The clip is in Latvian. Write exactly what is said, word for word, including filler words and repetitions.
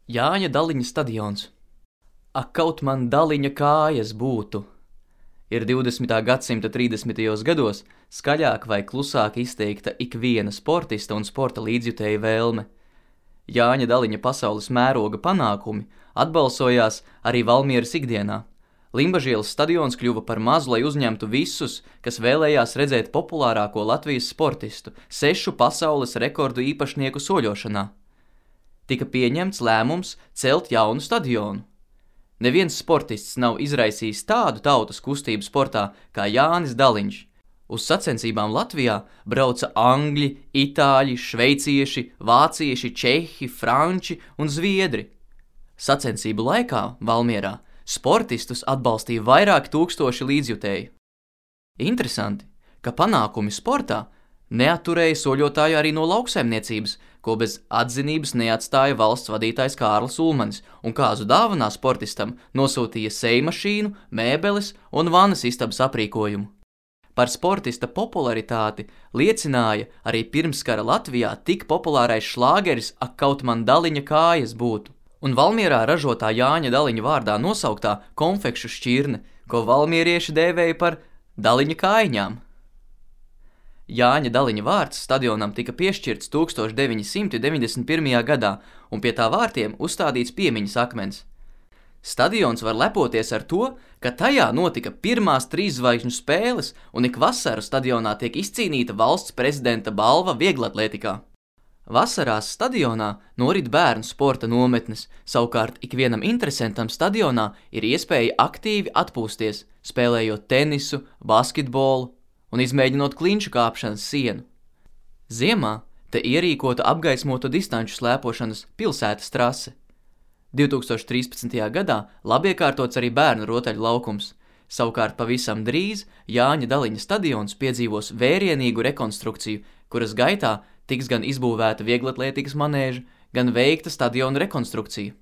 Jāņa Daliņa stadions. Ak, kaut man Daliņa kājas būtu! Ir divdesmitā gadsimta trīsdesmitajos gados skaļāk vai klusāk izteikta ikviena sportista un sporta līdzjutēja vēlme. Jāņa Daliņa pasaules mēroga panākumi atbalsojās arī Valmieras ikdienā. Limbažielas stadions kļuva par mazu, lai uzņemtu visus, kas vēlējās redzēt populārāko Latvijas sportistu, sešu pasaules rekordu īpašnieku soļošanā. Tika pieņemts lēmums celt jaunu stadionu. Neviens sportists nav izraisījis tādu tautas kustību sportā kā Jānis Daliņš. Uz sacensībām Latvijā brauca angļi, itāļi, šveicieši, vācieši, čehi, franči un zviedri. Sacensību laikā Valmierā sportistus atbalstīja vairāk tūkstoši līdzjutēju. Interesanti, ka panākumi sportā neatturēja soļotāju arī no lauksaimniecības, ko bez atzinības neatstāja valsts vadītājs Kārlis Ulmanis un kāzu dāvanā sportistam nosūtīja sejmašīnu, mēbeles un vanas istabas aprīkojumu. Par sportista popularitāti liecināja arī pirmskara Latvijā tik populārais šlāgeris Ak, kaut man Daliņa kājas būtu, un Valmierā ražotā Jāņa Daliņa vārdā nosauktā konfekšu šķirne, ko valmierieši dēvēja par Daliņa kājiņām. Jāņa Daliņa vārds stadionam tika piešķirts tūkstoš deviņi simti deviņdesmit pirmajā gadā, un pie tā vārtiem uzstādīts piemiņas akmens. Stadions var lepoties ar to, ka tajā notika pirmās trīs zvaigžņu spēles, un ik vasaru stadionā tiek izcīnīta valsts prezidenta balva vieglatlētikā. Vasarās stadionā norit bērnu sporta nometnes, savukārt ikvienam interesantam stadionā ir iespēja aktīvi atpūsties, spēlējot tenisu, basketbolu un izmēģinot klinšu kāpšanas sienu. Ziemā te ierīkota apgaismotu distanču slēpošanas pilsētas trase. divtūkstoš trīspadsmitajā gadā labiekārtots arī bērnu rotaļu laukums, savukārt pavisam drīz Jāņa Daliņa stadions piedzīvos vērienīgu rekonstrukciju, kuras gaitā tiks gan izbūvēta vieglatlētikas manēža, gan veikta stadiona rekonstrukcija.